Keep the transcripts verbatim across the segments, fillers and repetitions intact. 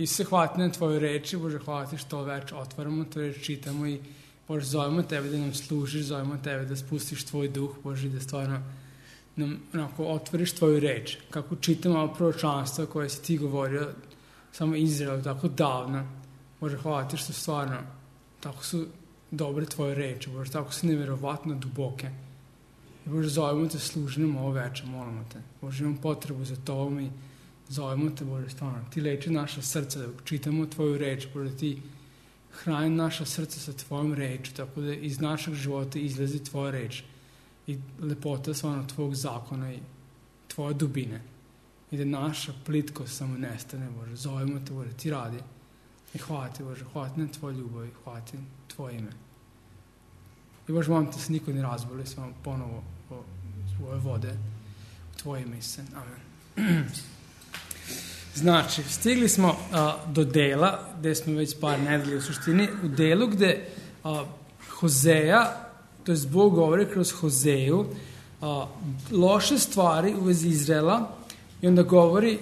Isuse, hvala ti na tvoju reči, Bože, hvala ti što večer otvaramo tvoju reč, čitamo i Bože, zovemo tebe da nam služiš, zovemo tebe da spustiš tvoj duh, Bože, da stvarno nam onako otvoriš tvoju reč. Kako čitamo ovo proročanstvo koje si ti govorio samo Izraelu tako davno. Bože, hvala ti što stvarno tako su dobre tvoje reči, Bože, tako su nevjerovatno duboke. I Bože, zovemo te, služi nam ovo večer, molimo te. Bože, imam potrebu za to i zovemo te, Bože, stvarno. Ti leči naša srca, da čitamo tvoju reč, Bože, ti hrani naša srca sa tvojom reču, tako da iz našeg života izlazi tvoja reč i lepota stvarno tvojeg zakona i tvoje dubine. I da naša plitkost samo nestane, Bože. Zovemo te, Bože, ti radi. I hvala ti, Bože, hvala ti na tvoj ljubav i hvala ti tvoje ime. I Bože, molim te se niko ne razboli, samo ponovo o svoje vode u tvoje ime, Isuse. Amen. Znači, stigli smo a, do dela, gde smo već par nedelja u suštini, u delu gde a, Hozeja, to je Bog govori kroz Hozeju, a, loše stvari u vezi Izraela i onda govori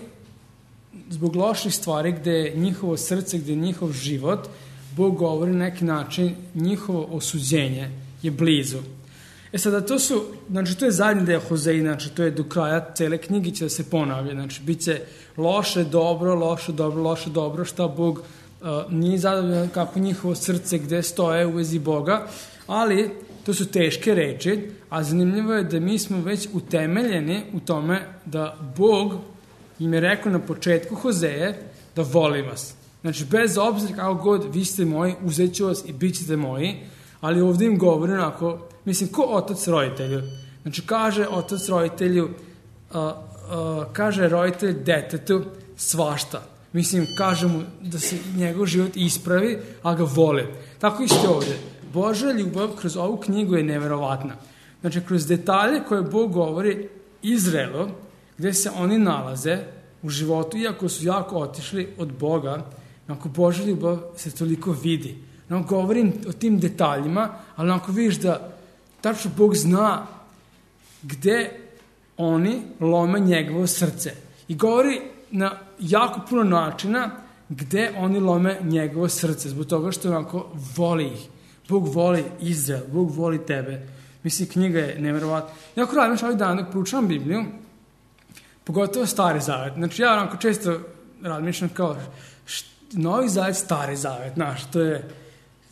zbog loših stvari gde je njihovo srce, gde je njihov život, Bog govori na neki način njihovo osuđenje je blizu. E sada to su, znači to je zadnji deo Hozeji, znači to je do kraja cele knjige će da se ponavlja, znači bit će loše, dobro, loše, dobro, loše, dobro, šta Bog uh, nije zadovoljan kako njihovo srce gde stoje u vezi Boga, ali to su teške reči, a zanimljivo je da mi smo već utemeljeni u tome da Bog im je rekao na početku Hozeje da voli vas. Znači bez obzira kako god vi ste moji, uzet ću vas i bit ćete moji, ali ovdje im govori onako, mislim, ko otac roditelju. Znači, kaže otac roditelju, uh, uh, kaže roditelj detetu svašta. Mislim, kaže mu da se njegov život ispravi, a ga voli. Tako isto ovdje. Božja ljubav kroz ovu knjigu je neverovatna. Znači, kroz detalje koje Bog govori Izraelu, gdje se oni nalaze u životu, iako su jako otišli od Boga, onako Božja ljubav se toliko vidi. No, govorim o tim detaljima, ali onako vidiš da tačno Bog zna gde oni lome njegovo srce. I govori na jako puno načina gde oni lome njegovo srce, zbog toga što onako voli ih. Bog voli Izrael, Bog voli tebe. Mislim, knjiga je nevjerovatna. Jako radim što ovih dana dok proučavam Bibliju, pogotovo Stari Zavet. Znači, ja onako često razmišljam kao št, Novi Zavet, Stari Zavet, znaš, to je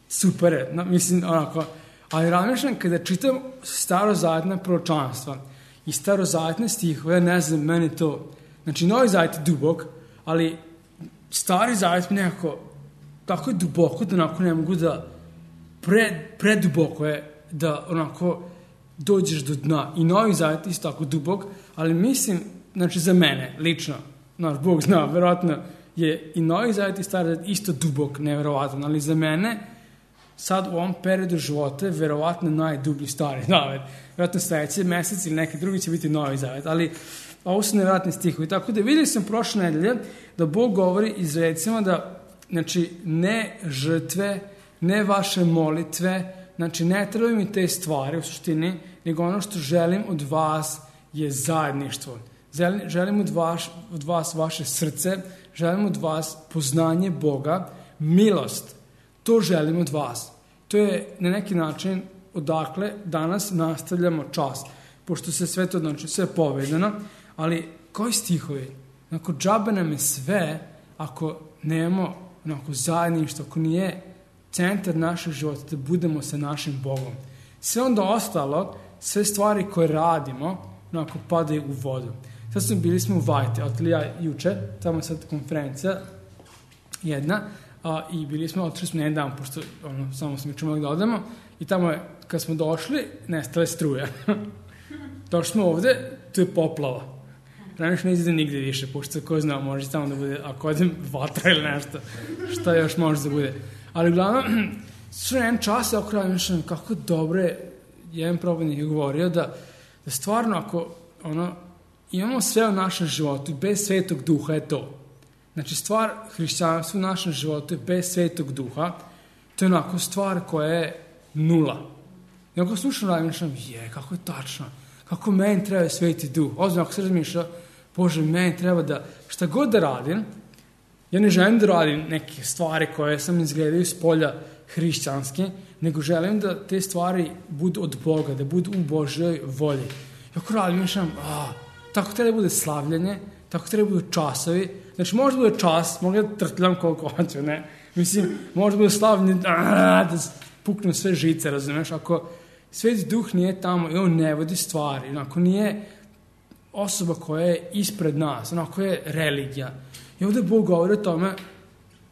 super, no, mislim, onako, ali razmišljam kada čitam starozavetna proročanstva i starozavetne stihove, ja ne znam, meni to, znači, Novi Zavet je dubok, ali Stari Zavet nekako, tako je duboko da onako ne mogu da, pre, preduboko je da onako dođeš do dna. I Novi Zavet je isto tako dubok, ali mislim, znači, za mene, lično, naš Bog zna, verovatno je i Novi Zavet i Stari Zavet isto dubok, neverovatan, ali za mene sad u ovom periodu života je verovatno najdublji Stari Zavet. Verovatno sledeći mesec ili neki drugi će biti Novi Zavet, ali ovo su nevjerojatni stihovi. Tako da vidjeli sam prošle nedelje da Bog govori Izraelcima da, znači, ne žrtve, ne vaše molitve, znači ne trebaju mi te stvari u suštini, nego ono što želim od vas je zajedništvo. Želim od vas, od vas vaše srce, želim od vas poznanje Boga, milost. To želim od vas. To je na neki način odakle danas nastavljamo čas. Pošto se sve to, znači, sve povedano, ali koji stihovi? Onako, džabe nam je sve ako nemamo onako zajedništvo, ako nije centar našeg života da budemo sa našim Bogom. Sve onda ostalo, sve stvari koje radimo, onako padaju u vodu. Sad smo bili smo u Vajte, otili ja juče, tamo je sad konferencija jedna, a, i bili smo, otišli smo jedan dan, pošto ono, samo smo čumali da odemo, i tamo je, kad smo došli, nestale struje. Došli smo ovde, tu je poplava. Raniš ne izde nigde više, pošto ko zna, može tamo da bude, ako odem vatra ili nešto, šta još može da bude. Ali uglavnom, sve jedan čas je okrao mišljam kako dobro je, jedan probodnik je govorio da, da stvarno ako ono, imamo sve u našem životu, bez Svetog Duha je to. Znači, stvar hrišćanstva u našem životu je bez Svetog Duha, to je onako stvar koja je nula. I ako slušam razmišljam, je, kako je tačno, kako meni treba Sveti Duh. Ozbiljno, ako se razmišlja, Bože, meni treba da, šta god da radim, Ja ne želim da radim neke stvari koje sam izgledaju s polja hrišćanske, nego želim da te stvari budu od Boga, da budu u Božjoj volji. I ako radim, mišljam, a, tako treba da bude slavljanje, tako treba da budu časovi. Znači, može da bude čas, mogu da trtljam koliko hoću, ne? Mislim, može da bude slavljanje, a, da puknem sve žice, razumiješ? Ako Sveti Duh nije tamo i on ne vodi stvari, ako nije osoba koja je ispred nas, onako je religija. I ovdje Bog govori o tome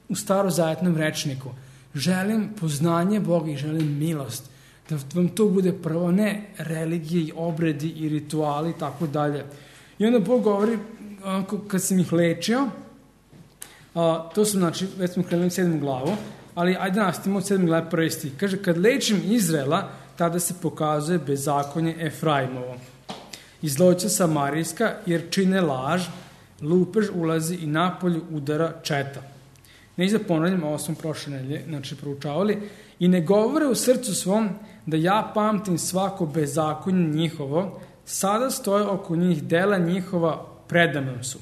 u starozavetnom rečniku. Želim poznanje Boga i želim milost. Da vam to bude prvo, ne religije i obredi i rituali i tako dalje. I onda Bog govori, onako, kad sam ih lečio, a, to su, znači, već smo krenuli sedmu glavu, ali ajde nastavimo od sedme glave prvi stih. Kaže, kad lečim Izraela, tada se pokazuje bezakonje Efraimovo. I zloća Samarijska, jer čine laž, lupež ulazi i napolju udara četa. Neću da ponavljam, ovo smo prošle nedelje, znači proučavali. I ne govore u srcu svom da ja pamtim svako bezakonje njihovo, sada stoje oko njih dela njihova, predamnom su.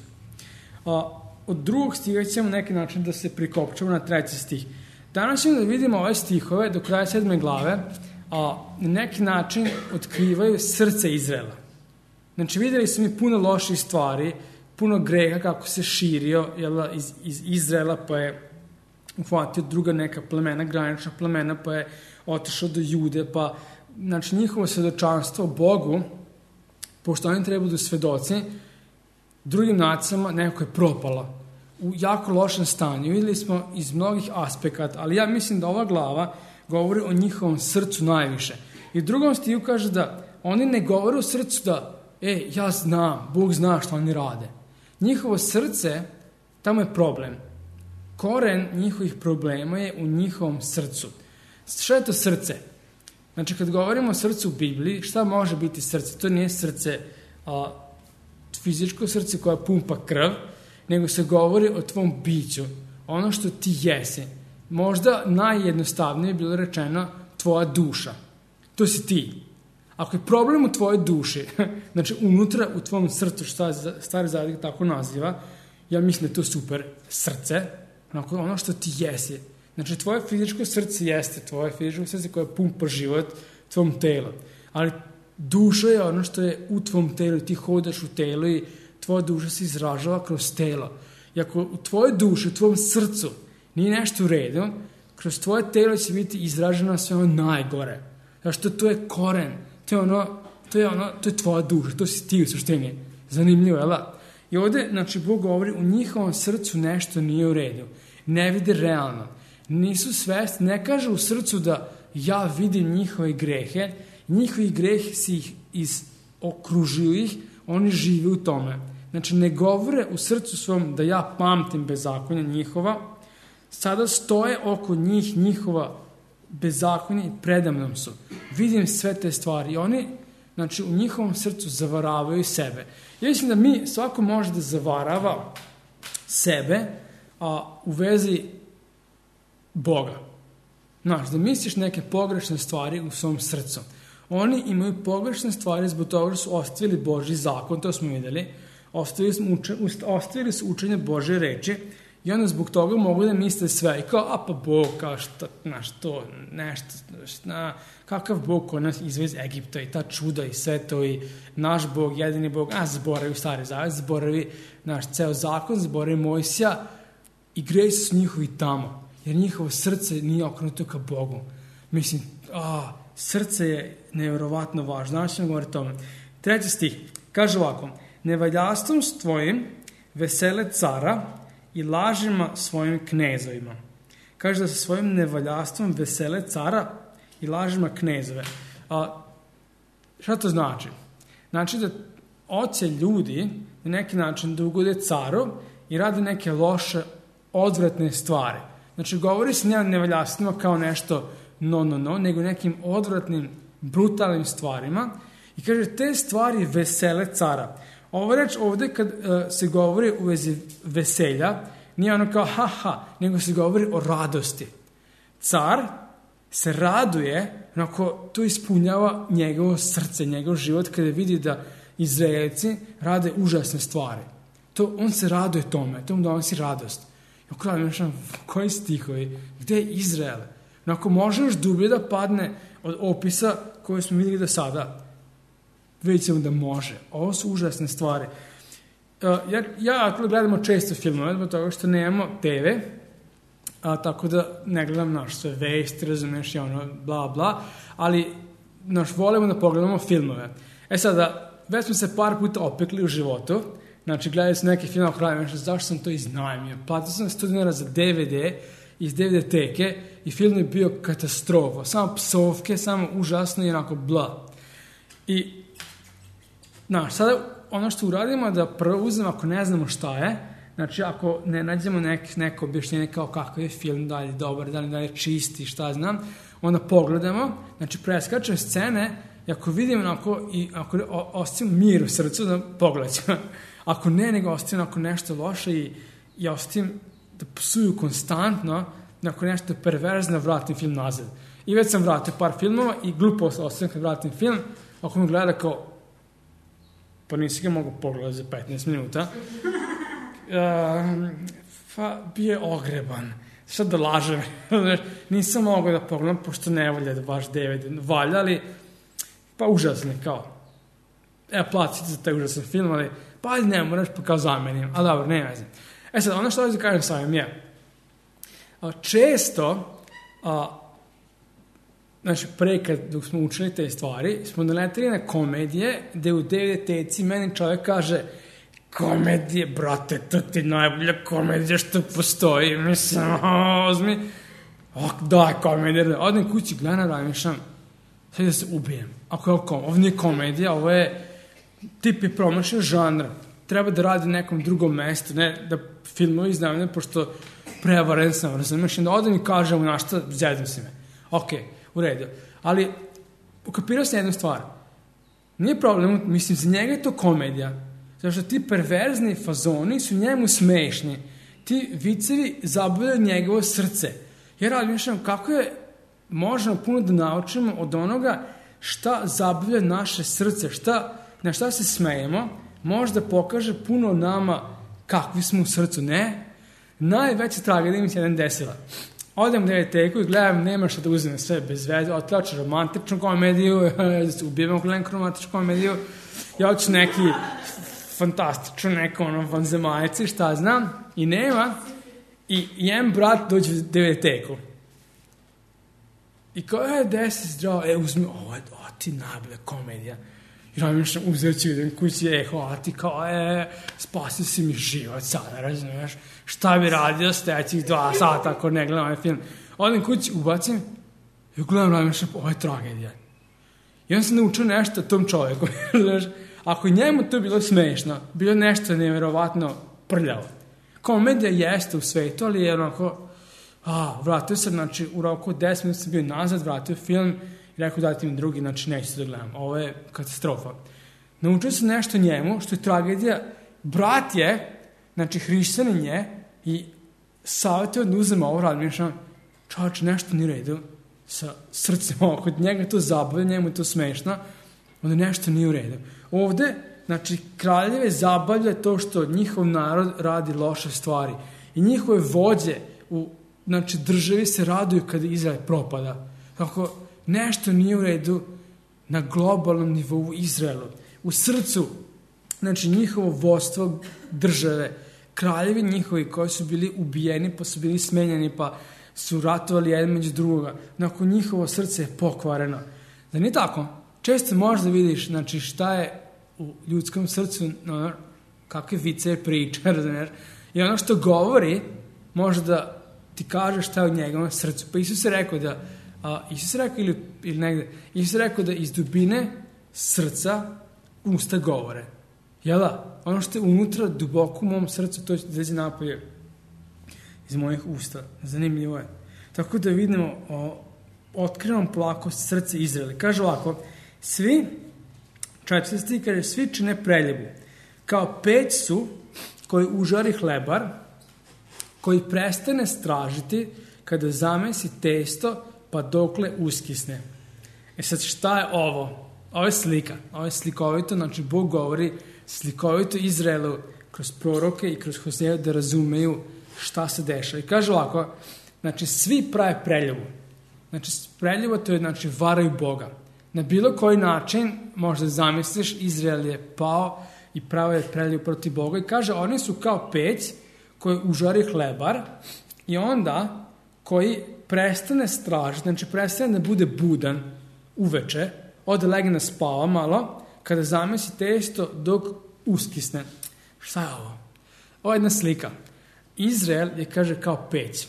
A, od drugog stiha ćemo neki način da se prikopčamo na treći stih. Danas ćemo da vidimo ove stihove do kraja sedme glave, a na neki način otkrivaju srce Izraela. Znači, vidjeli smo mi puno loših stvari, puno greha kako se širio jel, iz, iz Izraela, pa je uhvatio druga neka plemena, granična plemena, pa je otišao do Jude, pa znači, njihovo svedočanstvo Bogu, pošto oni trebaju da svedoci, drugim nacijama neko je propala u jako lošem stanju. Vidjeli smo iz mnogih aspekata, ali ja mislim da ova glava govori o njihovom srcu najviše. I u drugom stihu kaže da oni ne govore u srcu da e, ja znam, Bog zna što oni rade. Njihovo srce, tamo je problem. Koren njihovih problema je u njihovom srcu. Šta je to srce? Znači, kad govorimo o srcu u Bibliji, šta može biti srce? To nije srce, a, fizičko srce koja pumpa krv, nego se govori o tvom biću, ono što ti jesi. Možda najjednostavnije je bilo rečeno tvoja duša. To si ti. Ako je problem u tvojoj duši, znači unutra u tvom srcu, što Stari Zavet tako naziva, ja mislim da je to super srce, ono što ti jesi. Znači, tvoje fizičko srce jeste tvoje fizičko srce koje pumpa život tvom telu. Ali duša je ono što je u tvom telu, ti hodaš u telu i tvoja duša se izražava kroz telo. I ako u tvojoj duši, u tvom srcu nije nešto u redu, kroz tvoje telo će biti izraženo sve ono najgore. Znači, to, to je koren, to je ono, to je ono, to je tvoja duša, to si ti u suštini. Zanimljivo, jel da? I ovdje, znači, Bog govori, u njihovom srcu nešto nije u redu. Ne vide realno. Nisu svesti, ne kaže u srcu da ja vidim njihove grehe, njihovi grehi si ih iz, okružuju ih, oni žive u tome. Znači, ne govore u srcu svom da ja pamtim bezakonja njihova, sada stoje oko njih njihova bezakonja i predamnom su. Vidim sve te stvari i oni, znači, u njihovom srcu zavaravaju sebe. Ja mislim da mi, svako može da zavarava sebe, a u vezi Boga. Znaš, da misliš neke pogrešne stvari u svom srcu. Oni imaju pogrešne stvari zbog toga što su ostavili Božji zakon, to smo vidjeli, ostavili su, uče, ostavili su učenje Božje reči i onda zbog toga mogu da misle sve. I kao, a pa Bog, kao što, znaš, to, nešto, šta, kakav Bog ko nas izvez Egipta i ta čuda i sve to i naš Bog, jedini Bog, a zaboravi Stari Zavet, zaboravi naš ceo zakon, zaboravi Mojsija i gresi su njihovi tamo, jer njihovo srce nije okrenuto ka Bogu. Mislim, a, srce je nevjerovatno važno. Znači ćemo govoriti o tome. Treći stih, kaže ovako, nevaljastvom s tvojim vesele cara i lažima svojim knezovima. Kaže da sa svojim nevaljastvom vesele cara i lažima knezove. A, šta to znači? Znači da hoće ljudi na neki način da ugode caru i rade neke loše, odvratne stvari. Znači, govori se ne nevaljastvima kao nešto no, no, no, nego nekim odvratnim, brutalnim stvarima. I kaže, te stvari vesele cara. Ovo reč ovdje kad uh, se govori u vezi veselja, nije ono kao ha, ha, nego se govori o radosti. Car se raduje, onako to ispunjava njegovo srce, njegov život, kada vidi da Izraelci rade užasne stvari. To, on se raduje tome, to mu donosi radost. Onako razmišljam, koji stihovi, gde je Izrael? Onako može još dublje da padne od opisa koje smo vidjeli do sada. Vidjet ćemo da može. Ovo su užasne stvari. Uh, jer ja gledamo često filmove, zbog toga što nemamo te ve, a, tako da ne gledam naš sve vesti, razumeš, i ono, bla, bla, ali naš volimo da pogledamo filmove. E sada, već smo se par puta opekli u životu, znači gledali su neki film, krajem, zašto sam to iznajmio? Platio sam sto dinara za de ve de iz de ve de teke i film je bio katastrofa, samo psovke, samo užasno i onako bla. I, znaš, sada ono što uradimo je da prvo uzmemo, ako ne znamo šta je, znači ako ne nađemo nek, neko objašnjenje kao kakav je film, da li je dobar, da li, da li je čisti, šta znam, onda pogledamo, znači preskačemo scene i ako vidimo onako, i ako ostavimo mir u srcu, da pogledamo. Ako ne, nego ostavimo onako nešto loše i, i ostavim da psuju konstantno, ako nešto perverzno, vratim film nazad. I već sam vratio par filmova i glupo ostavim kad vratim film, ako me gleda kao, pa nisi ga mogu pogledati za petnaest minuta, Uh, pa bio je ogreban. Šta da lažem? Nisam mogao da pogledam, pošto ne volja da baš de ve de valja, ali pa užasno kao. Evo, platite za taj užasan film, ali pa ne moraš, pa kao zamenim. A dobro, ne znam. E sad, ono što ovdje kažem samim je, a, često, a, znači, pre kad dok smo učili te stvari, smo naletili na komedije, gde u de ve de teci meni čovjek kaže, komedije, brate, to ti najbolja komedija što postoji, mislim, ozmi, ok, daj komedija, odem kući, gledam, razmišljam, sad da se ubijem, ako je ovo, ovo nije komedija, ovo je, tip je promašio žanr, treba da radi nekom drugom mestu, ne da filmovi iznajmljaju, pošto prevaren sam, razumiješ, da odem i kažem, na šta, zezam si me, ok, u redu, ali ukapirao sam jednu stvar, nije problem, mislim, za njega je to komedija, zato što ti perverzni fazoni su njemu smešni. Ti vicevi zabavljaju njegovo srce. Ja razmišljam kako je možemo puno da naučimo od onoga šta zabavlja naše srce, šta, na šta se smejemo, možda pokaže puno nama kakvi smo u srcu. Ne, najveća tragedija mi se jedan desila. Odem u de ve de teku i gledam, nema šta da uzmem sve bez veze, otlaču romantičnu komediju, ubijem gledam romantičnu komediju, ja hoću neki fantastično, neko ono vanzemaljci, šta znam, i nema, i jedan brat dođe u de ve de teku. I kao, e, desi zdravo, e, uzmi, ovo je, o, ti najbolja komedija. I razmišljam, uzet ću, idem kući, e, hvala ti, kao, e, spasio si mi život sada, razumiješ, šta bi radio stećih dva sata ako ne gledam ovaj film. Odem kući, ubacim, i gledam, razmišljam, ovo je tragedija. I onda sam naučio nešto tom čovjeku, znaš, ako njemu to bilo smešno, bilo nešto nevjerovatno prljavo. Komedija jeste u svetu, ali je onako, a, vratio sam, znači, u roku deset minuta sam bio nazad, vratio film i rekao dajte mi drugi, znači neću se da gledam. Ovo je katastrofa. Naučio sam nešto njemu, što je tragedija. Brat je, znači, hrišćanin je i savjetio da uzem ovo, razmišljam, čovječ, nešto nije redu sa srcem, kod njega to zabavlja, njemu je to smešno, onda nešto nije u redu. Ovde, znači, kraljeve zabavlja to što njihov narod radi loše stvari i njihove vođe u, znači, državi se raduju kada Izrael propada. Kako nešto nije u redu na globalnom nivou Izraelu. U srcu, znači, njihovo vodstvo države, kraljevi njihovi koji su bili ubijeni, pa su bili smenjeni, pa su ratovali jedan među drugoga. Nakon njihovo srce je pokvareno. Da nije tako? Često možda vidiš, znači, šta je u ljudskom srcu, no, kakve vice priča, razumiješ? I ono što govori, može da ti kaže šta je u njegovom srcu. Pa Isus je rekao da, a, Isus je rekao ili, ili negde, Isus je rekao da iz dubine srca usta govore. Jel da? Ono što je unutra, duboko u mom srcu, to će izaći napolje iz mojih usta. Zanimljivo je. Tako da vidimo o otkrivom polako srce Izraela. Kaže ovako, svi, četvrti kaže, svi čine preljubu. Kao peć su koji užari hlebar, koji prestane stražiti kada zamesi testo, pa dokle uskisne. E sad, šta je ovo? Ovo je slika. Ovo je slikovito, znači Bog govori slikovito Izraelu kroz proroke i kroz Hoseja da razumeju šta se dešava. I kaže ovako, znači svi prave preljubu. Znači preljuba to je, znači, varaju Boga. Na bilo koji način, možda zamisliš, Izrael je pao i pravo je preljubu protiv Boga. I kaže, oni su kao peć koji užari hlebar i onda koji prestane stražiti, znači prestane da bude budan uveče, ode legne da spava malo, kada zamesi testo dok uskisne. Šta je ovo? Ovo je jedna slika. Izrael je, kaže, kao peć.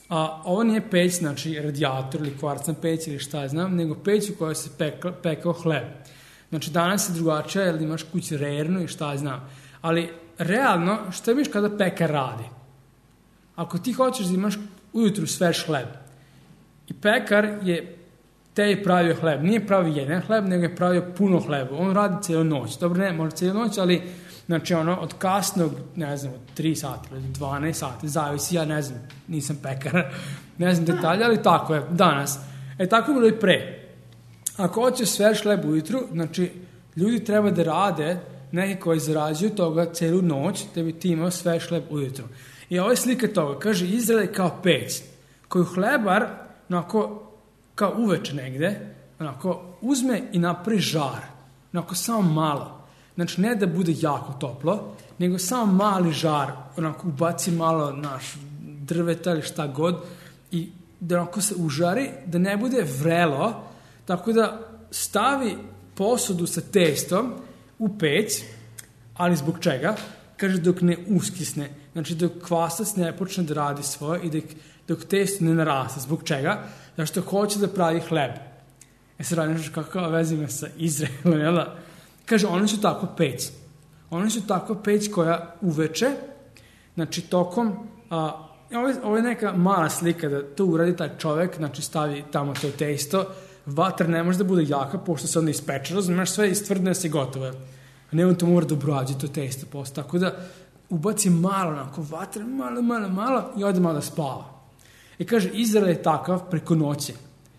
A ovo nije peć, znači radijator ili kvarcna peć ili šta je znam, nego peć u kojoj se pekao, pekao hleb. Znači danas je drugačija jer imaš kući rernu i šta je znam. Ali realno, šta biš kada pekar radi? Ako ti hoćeš da imaš ujutru svež hleb i pekar je tebi pravio hleb, nije pravio jedan hleb, nego je pravio puno hleba. On radi cijelu noć. Dobro, ne, možda cijelu noć, ali znači ono, od kasnog, ne znam, od tri sata ili dvanaest sati, zavisi, ja ne znam, nisam pekar, ne znam detalje, ali tako je, danas. E, tako je bilo i pre. Ako hoćeš svež hleb ujutru, znači, ljudi treba da rade, neki koji zarađuju toga cijelu noć, da bi ti imao svež hleb ujutru. I ovo je slika toga, kaže, Izrael je kao peć, koju hlebar, onako, kao uveče negde, onako, uzme i napravi žar, onako, samo malo. Znači, ne da bude jako toplo, nego samo mali žar, onako, ubaci malo naš drveta ili šta god i da onako se užari, da ne bude vrelo, tako da stavi posudu sa testom u peć, ali zbog čega? Kaže, dok ne uskisne. Znači, dok kvasac ne počne da radi svoje i dok, dok testo ne naraste. Zbog čega? Zašto hoće da pravi hleb. E sad radi nešto kakva veza ima sa Izraelom, jel da? Kaže, oni su tako peć. Oni su tako peć koja uveče, znači tokom, a, ovo, je, ovo je neka mala slika da to uradi taj čovjek, znači stavi tamo to testo, vatra ne može da bude jaka, pošto se onda ispeče, razumiješ, sve istvrdne se gotovo. Ne on to mora da obrađe to testo posto, tako da ubaci malo, onako, vatra, malo, malo, malo i ode malo da spava. I kaže, Izrael je takav preko noće,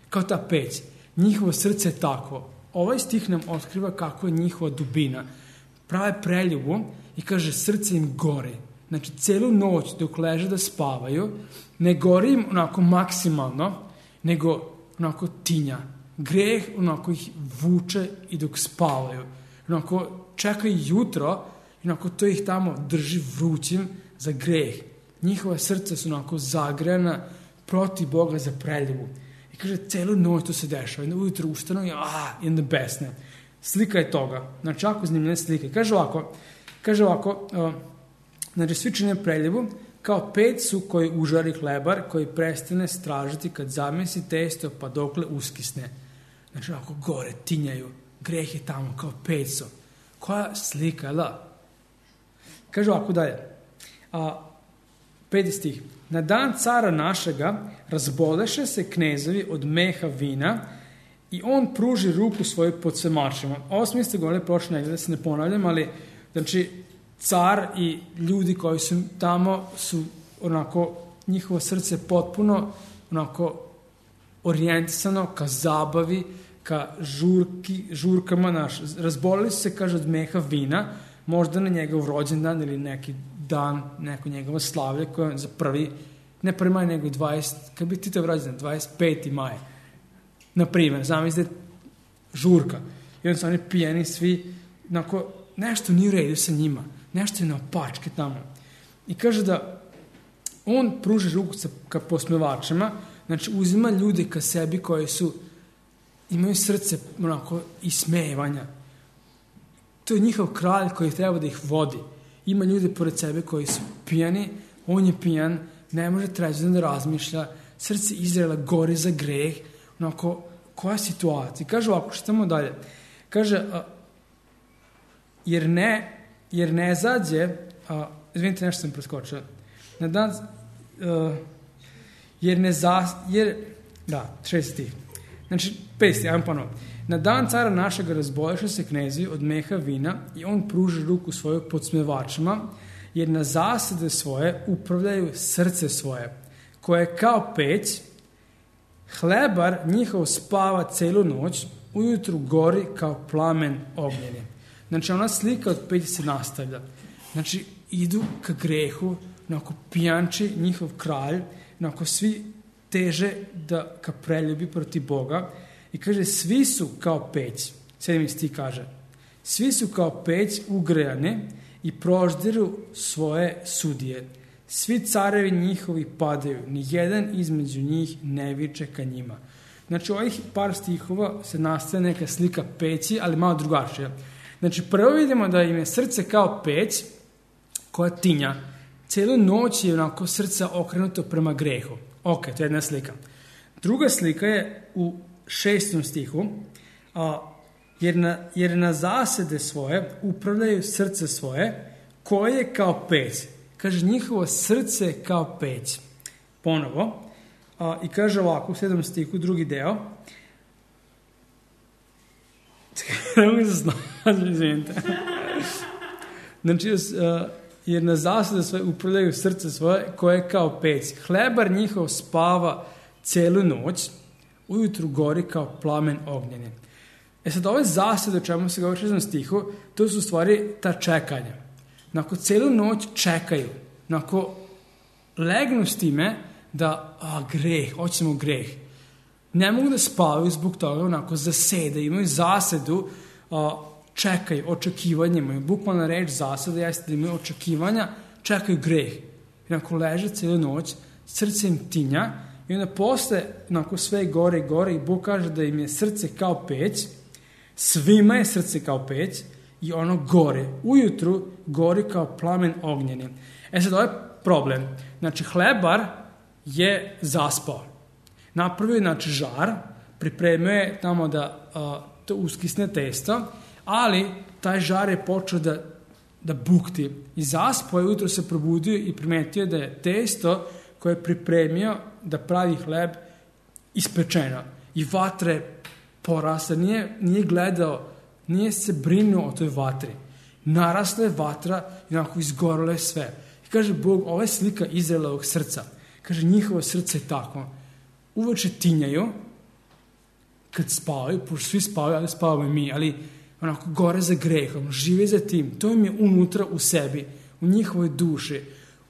kao ta peć. Njihovo srce je takvo. Ovaj stih nam otkriva kako je njihova dubina. Prave preljubu i kaže, srce im gori. Znači, celu noć dok leže da spavaju, ne gori im onako maksimalno, nego onako tinja. Greh onako ih vuče i dok spavaju. Onako čekaju jutro i onako to ih tamo drži vrućim za greh. Njihova srca su onako zagrejana protiv Boga za preljubu. I kaže, celu noć to se dešava. I ujutro ustanu i ah, in the best, ne. Slika je toga. Znači, jako zanimljene slike. Kaže ovako, kaže ovako, uh, znači, svi čine preljubu, kao peć su koji užari hlebar, koji prestane stražiti kad zamesi testo, pa dokle uskisne. Znači, ovako gore, tinjaju. Greh je tamo, kao peć su. Koja slika, da? Kaže ovako dalje. A, peti stih. Na dan cara našega razboleše se knezovi od meha vina i on pruži ruku svoju pod svemačima. Ovo smo isto govorili prošle negdje, da se ne ponavljam, ali znači car i ljudi koji su tamo su onako, njihovo srce potpuno onako orijentisano ka zabavi, ka žurki, žurkama naš. Razbolili su se, kaže, od meha vina, možda na njegov rođendan ili neki dan, neko njegovo slavlje koje je za prvi, ne prvi maj, nego dvadeset, kad bi ti to rođendan, dvadeset peti maj. Na primjer, znam da je žurka. I onda su oni pijeni svi, onako, nešto nije u redu sa njima, nešto je na opačke tamo. I kaže da on pruži ruku sa, ka posmevačima, znači uzima ljude ka sebi koji su, imaju srce onako ismevanja. To je njihov kralj koji treba da ih vodi. Ima ljude pored sebe koji su pijani, on je pijan, ne može treći da razmišlja, srce Izraela gori za greh, onako, koja situacija? Kaže ovako, što tamo dalje? Kaže, a, jer ne, jer ne zađe, a, izvinite, nešto sam preskočio, na dan, a, jer ne za, jer, da, šesti, znači, pesti, ajmo ponovno. Na dan cara našega razboleše se knezi od meha vina i on pruži ruku svoju podsmevačima, jer na zasade svoje upravljaju srce svoje, koje je kao peć, hlebar njihov spava celu noć, ujutru gori kao plamen ognjeni. Znači, ona slika od peći se nastavlja. Znači, idu ka grehu, onako pijanči, njihov kralj, onako svi teže da ka preljubi protiv Boga i kaže svi su kao peć, sedmi stih kaže, svi su kao peć ugrejane i proždiru svoje sudije. Svi carevi njihovi padaju, ni jedan između njih ne viče ka njima. Znači, ovih par stihova se nastaje neka slika peći, ali malo drugačija. Znači, prvo vidimo da im je srce kao peć koja tinja. Cijelu noć je onako srce okrenuto prema grehu. Ok, to je jedna slika. Druga slika je u šestom stihu, a, jer, na, jer na zasede svoje upravljaju srce svoje, koje je kao peć. Kaže, njihovo srce je kao peć. Ponovo. A, I kaže ovako, u sedmom stihu, drugi deo. Ne mogu se snaći, izvinite. Znači, a, jer na zasade svoje upravljaju srce svoje, koje je kao peć. Hlebar njihov spava celu noć, ujutru gori kao plamen ognjeni. E sad, ove zasade, o čemu se govori u šestom stihu, to su u stvari ta čekanja. Nakon celu noć čekaju, nakon legnu s time da, a, greh, hoćemo greh. Ne mogu da spavaju zbog toga, onako zasede, imaju zasedu, a, čekaju, očekivanje imaju. Bukvalna reč zasada jeste da imaju očekivanja, čekaju greh. I nakon leže celu noć, srce im tinja i onda posle, nakon sve gore i gore, i Bog kaže da im je srce kao peć, svima je srce kao peć, i ono gore, ujutru gori kao plamen ognjeni. E sad, ovo je problem. Znači, hlebar je zaspao. Napravio je, znači, žar, pripremio je tamo da a, to uskisne testo, ali taj žar je počeo da, da bukti. I zaspao je, ujutro se probudio i primetio da je testo koje je pripremio da pravi hleb ispečeno. I vatra je porasla, nije, nije gledao, nije se brinuo o toj vatri. Narasla je vatra i onako izgorilo je sve. I kaže Bog, ova je slika Izraelovog srca. Kaže, njihovo srce je tako. Uveče tinjaju kad spavaju, pošto svi spavaju, ali spavaju mi, ali onako gore za grehom, žive za tim. To im je unutra u sebi, u njihovoj duši.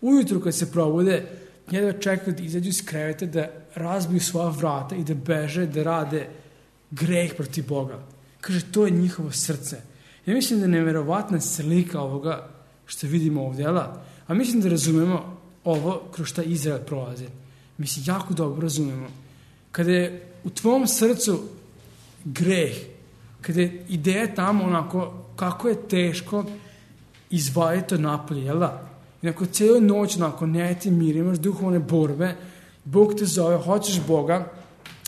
Ujutru kad se probude, jedva čekaju da izađu iz kreveta, da razbiju svoja vrata i da beže, da rade greh protiv Boga. Kaže, to je njihovo srce. Ja mislim da je nevjerovatna slika ovoga što vidimo ovdje, ala? A mislim da razumemo ovo kroz šta Izrael prolazi. Mislim, jako dobro razumemo. Kada je u tvom srcu greh, kada je ideja tamo onako kako je teško izvajati to napolje, jel da? I nakon cijelu noć onako ne ti mir, imaš duhovne borbe, Bog te zove, hoćeš Boga,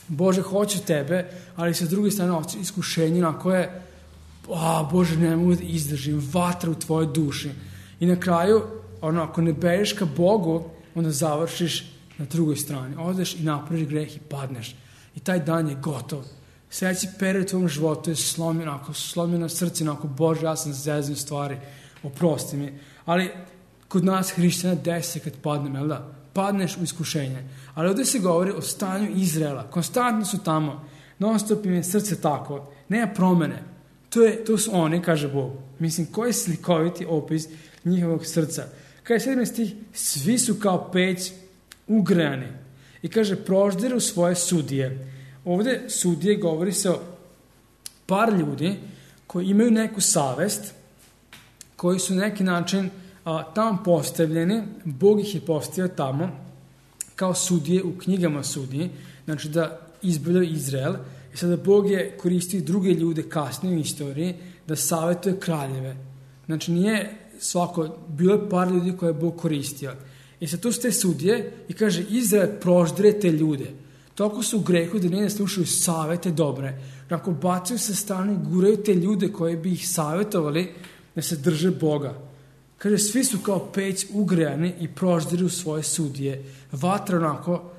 Bože, hoću tebe, ali sa druge strane iskušenje na koje, a, Bože, ne mogu da izdržim, vatra u tvojoj duši. I na kraju, ono, ako ne bežeš ka Bogu, onda završiš na drugoj strani. Odeš i napraviš greh i padneš. I taj dan je gotov. Sljedeći period u tvojom životu je slomljeno, ako slomljeno srce, ako Bože, ja sam zeznio stvari, oprosti mi. Ali kod nas hrišćana desi kad padnem, jel da? Padneš u iskušenje. Ali ovdje se govori o stanju Izraela. Konstantno su tamo. Non stop im je srce tako. Nema promene. To, je, to su oni, kaže Bog. Mislim, koji je slikoviti opis njihovog srca. Kaže sedmi stih, svi su kao peć ugrejani. I kaže, proždiru svoje sudije. Ovdje sudije govori se o par ljudi koji imaju neku savest, koji su na neki način a, tamo postavljeni, Bog ih je postavio tamo kao sudije u knjigama sudije, znači da izbavljaju Izrael. I sada Bog je koristio druge ljude kasnije u istoriji da savjetuje kraljeve. Znači nije svako, bilo je par ljudi koje je Bog koristio. I sad tu su te sudije i kaže, Izrael proždire te ljude. Toliko su u grehu da ne slušaju savjete dobre. Ako bacaju sa strane i guraju te ljude koji bi ih savjetovali da se drže Boga. Kaže, svi su kao peć ugrejani i proždiru svoje sudije. Vatra onako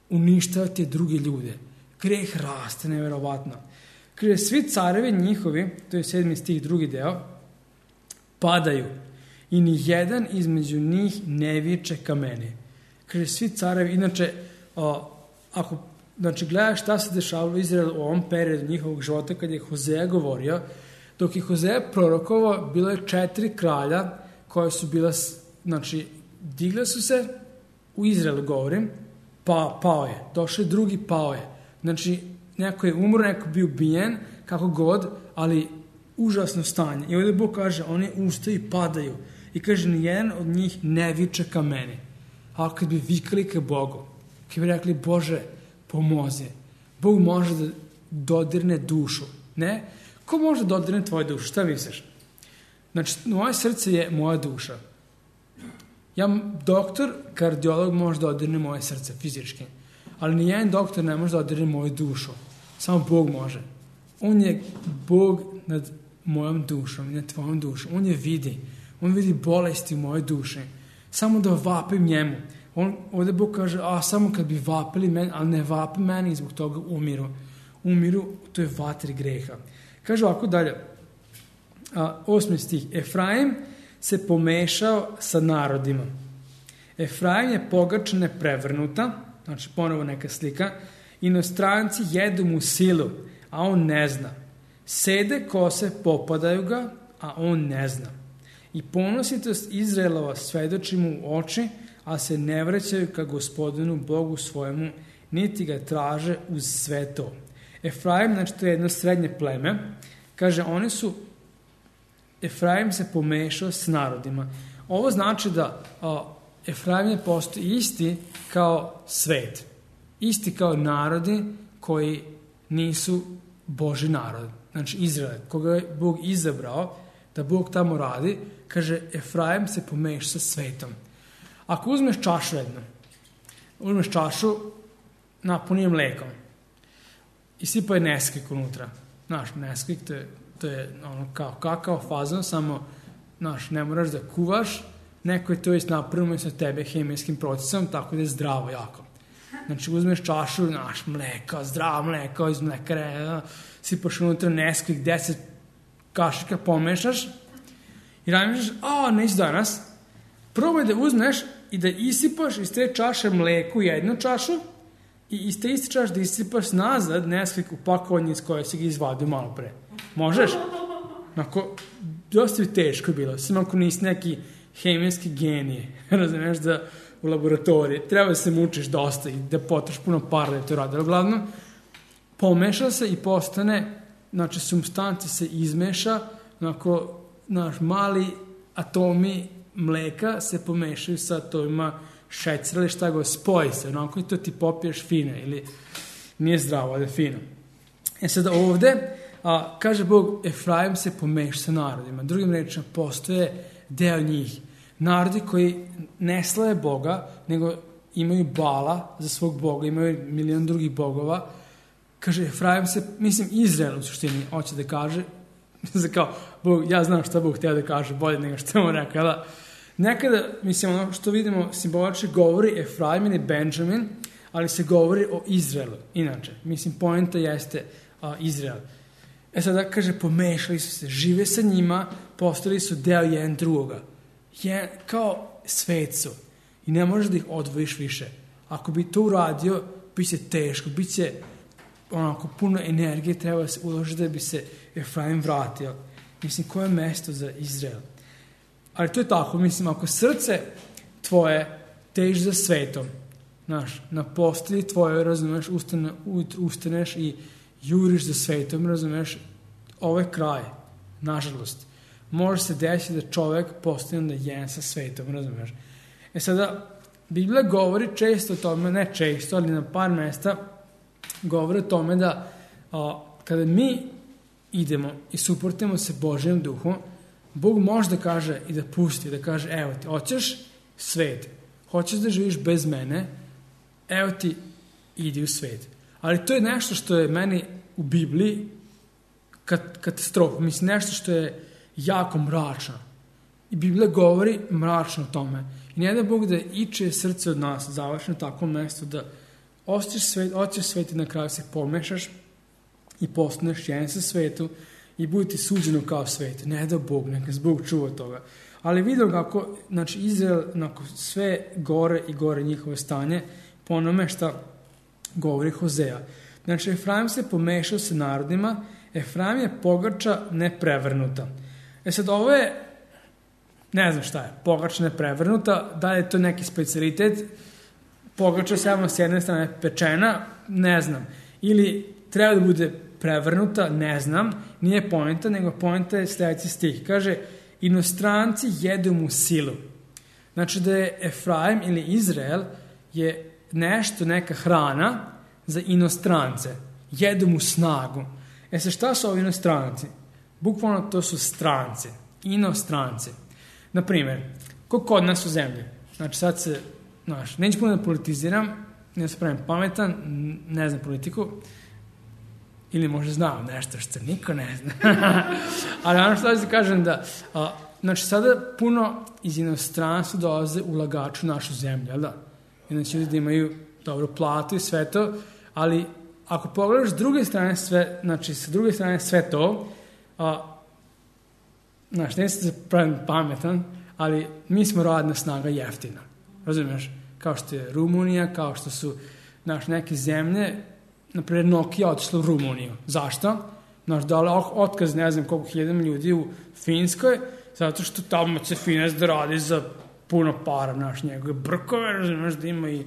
uništava te druge ljude. Greh raste, nevjerovatno. Kaže, svi carevi njihovi, to je sedmi stih, drugi deo, padaju i ni jedan između njih ne viče ka meni. Kaže, svi carevi, inače, o, ako znači, gledaš šta se dešavalo u Izraelu u ovom periodu njihovog života, kad je Hozea govorio, dok je Hozea prorokovao, bilo je četiri kralja koje su bila, znači, digla su se, u Izraelu govorim, pa, pao je, došao je drugi, pao je. Znači, neko je umro, neko je bio ubijen, kako god, ali užasno stanje. I ovdje Bog kaže, oni ustaju i padaju. I kaže, nijedan od njih ne viče ka meni. A kad bi vikali ka Bogu, kad bi rekli, Bože, pomozi. Bog može da dodirne dušu. Ne? Ko može da dodirne tvoju dušu? Šta misliš? Znači, moje srce je moja duša. Ja, doktor, kardiolog može da dodirne moje srce fizički. Ali nijedan doktor ne može da dodirne moju dušu. Samo Bog može. On je Bog nad mojom dušom, nad tvojom dušom. On je vidi. On vidi bolesti u mojoj duši. Samo da vapim njemu. On, ovdje Bog kaže, a samo kad bi vapili meni, ali ne vapi meni i zbog toga umiru. Umiru, to je vatri greha. Kaže ovako dalje, a, osmi stih, Efraim se pomešao sa narodima. Efraim je pogača neprevrnuta, znači ponovo neka slika, inostranci jedu mu silu, a on ne zna. Sede kose, popadaju ga, a on ne zna. I ponositost Izraelova svedoči mu u oči, a se ne vraćaju ka Gospodinu Bogu svojemu, niti ga traže uz sve to. Efraim, znači to je jedno srednje pleme, kaže, oni su, Efraim se pomešao s narodima. Ovo znači da a, Efraim je postao isti kao svet. Isti kao narodi koji nisu Boži narod. Znači Izrael, koga je Bog izabrao da Bog tamo radi, kaže, Efraim se pomešao sa svetom. Ako uzmeš čašu jednu, uzmeš čašu, napuni je mlekom i sipaj Neskvik unutra. Znaš, Neskvik, to je, to je ono kao kakao fazon, samo, znaš, ne moraš da kuvaš, neko je to već napravio sa tebe hemijskim procesom, tako da je zdravo jako. Znači, uzmeš čašu, znaš, mleka, zdravo mleko iz mlekare, sipaš unutra Neskvik, deset kašika pomešaš i razmišljaš, a, neći danas, probaj da uzmeš i da isipaš iz te čaše mleku jednu čašu i iz te iste čaše da isipaš nazad Neskvik u pakovanje iz koje si ga izvadio malo pre. Možeš? Onako, dosta bi teško bilo, samo ako nisi neki hemijski genije, razumiješ, da u laboratoriji treba da se mučiš dosta i da potraš puno para da to radi. Uglavnom, pomeša se i postane, znači, supstanca se izmeša, onako, naš mali atomi mleka se pomešaju sa atomima šećera ili šta go, spoji se, onako i to ti popiješ fine ili nije zdravo, ali je fino. E sada ovde, a, kaže Bog, Efraim se pomeša sa narodima. Drugim rečima, postoje deo njih. Narodi koji ne slave Boga, nego imaju Bala za svog Boga, imaju milion drugih bogova. Kaže, Efraim se, mislim, Izrael u suštini, hoće da kaže, kao, Bog, ja znam šta Bog htio da kaže, bolje nego što mu rekao, da. Nekada, mislim, ono što vidimo simbolično govori Efraim i Benjamin, ali se govori o Izraelu. Inače, mislim, poenta jeste a, Izrael. E sada, kaže, pomešali su se, žive sa njima, postali su deo jedan drugoga. Je, kao svet su. I ne možeš da ih odvojiš više. Ako bi to uradio, bit će teško, bit će onako puno energije treba se uložiti da bi se Efraim vratio. Mislim, koje je mesto za Izrael? Ali to je tako, mislim, ako srce tvoje teži za svetom, znaš, na postelji tvoje, razumeš, ustane, ustaneš i juriš za svetom, razumeš, ovo je kraj, nažalost. Može se desiti da čovjek postane da jedan sa svetom, razumeš. E sada, Biblija govori često o tome, ne često, ali na par mesta govori o tome da a, kada mi idemo i suprotimo se Božjem duhu, Bog može da kaže i da pusti, da kaže, evo ti, hoćeš svet, hoćeš da živiš bez mene, evo ti, idi u svet. Ali to je nešto što je meni u Bibliji kat, katastrofa, mislim, nešto što je jako mračno. I Biblija govori mračno o tome. I ne da Bog da iče srce od nas, završi na takvom mjestu, da osjećaš svet, osjećaš svet i na kraju se pomešaš i postaneš jedan sa svetu i bude ti suđeno kao svet. Ne da Bog, neka se Bog čuva toga. Ali vidio kako, znači, Izrael, nakon sve gore i gore njihove stanje, po onome šta govori Hozea. Znači, Efraim se pomešao sa narodima, Efraim je pogača neprevrnuta. E sad, ovo je ne znam šta je, pogača neprevrnuta, da li je to neki specijalitet, pogača samo s jedne strane pečena, ne znam, ili treba da bude prevrnuta, ne znam, nije poenta, nego poenta je sledeći stih. Kaže, inostranci jedu mu silu. Znači da je Efraim ili Izrael je nešto, neka hrana za inostrance. Jedu mu snagu. E sad, šta su ovi inostranci? Bukvalno to su stranci. Inostranci. Naprimer, ko kod nas u zemlji? Znači sad se, znaš, neću puno da politiziram, ne se pravim pametan, ne znam politiku, ili možda znam nešto što niko ne zna. Ali ono što da kažem da, a, znači sada puno iz inostranstva dolaze ulagači u našu zemlju, jel da? I znači ljudi da imaju dobru platu i sve to, ali ako pogledaš s druge strane sve, znači sa druge strane sve to, a, znači ne se pravim pametan, ali mi smo radna snaga jeftina. Razumiješ? Kao što je Rumunija, kao što su naš neke zemlje, naprijed Nokia otišla u Rumuniju. Zašto? Znaš, dali otkaz ne znam koliko hiljadama ljudi u Finskoj, zato što tamo će Finec da radi za puno para, znaš, njegove brkove, razumiješ, da ima i,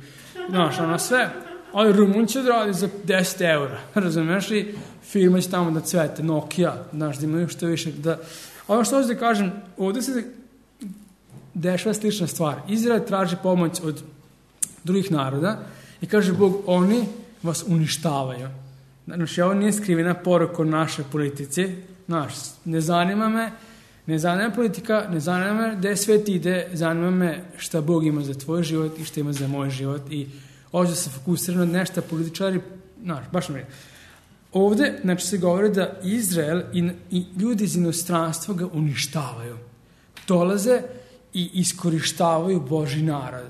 znaš, ono sve, ali Rumun će da radi za deset eura, razumiješ, i firma će tamo da cvete, Nokia, znaš, da imaju što više, da, ono što hoću da kažem, ovdje se dešava slična stvar. Izrael traži pomoć od drugih naroda i kaže Bog, oni vas uništavaju. Znači, ovo nije skrivena poruka o našoj politici. Znaš, ne zanima me, ne zanima me politika, ne zanima me gde svet ide, zanima me šta Bog ima za tvoj život i šta ima za moj život i ovdje se fokusira na nešto političari, znaš, baš mi je. Ovdje, znači, se govori da Izrael i, i ljudi iz inostranstva ga uništavaju. Dolaze i iskorištavaju Božji narod.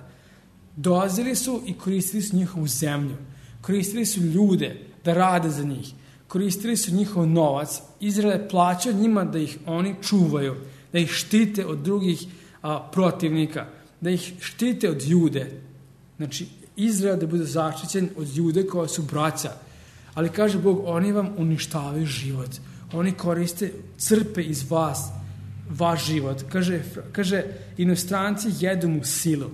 Dolazili su i koristili su njihovu zemlju. Koristili su ljude da rade za njih. Koristili su njihov novac. Izrael je plaćao njima da ih oni čuvaju, da ih štite od drugih a, protivnika, da ih štite od Jude. Znači, Izrael da bude zaštićen od Jude koja su braća. Ali kaže Bog, oni vam uništavaju život. Oni koriste, crpe iz vas vaš život. Kaže, kaže inostranci jedu mu silu.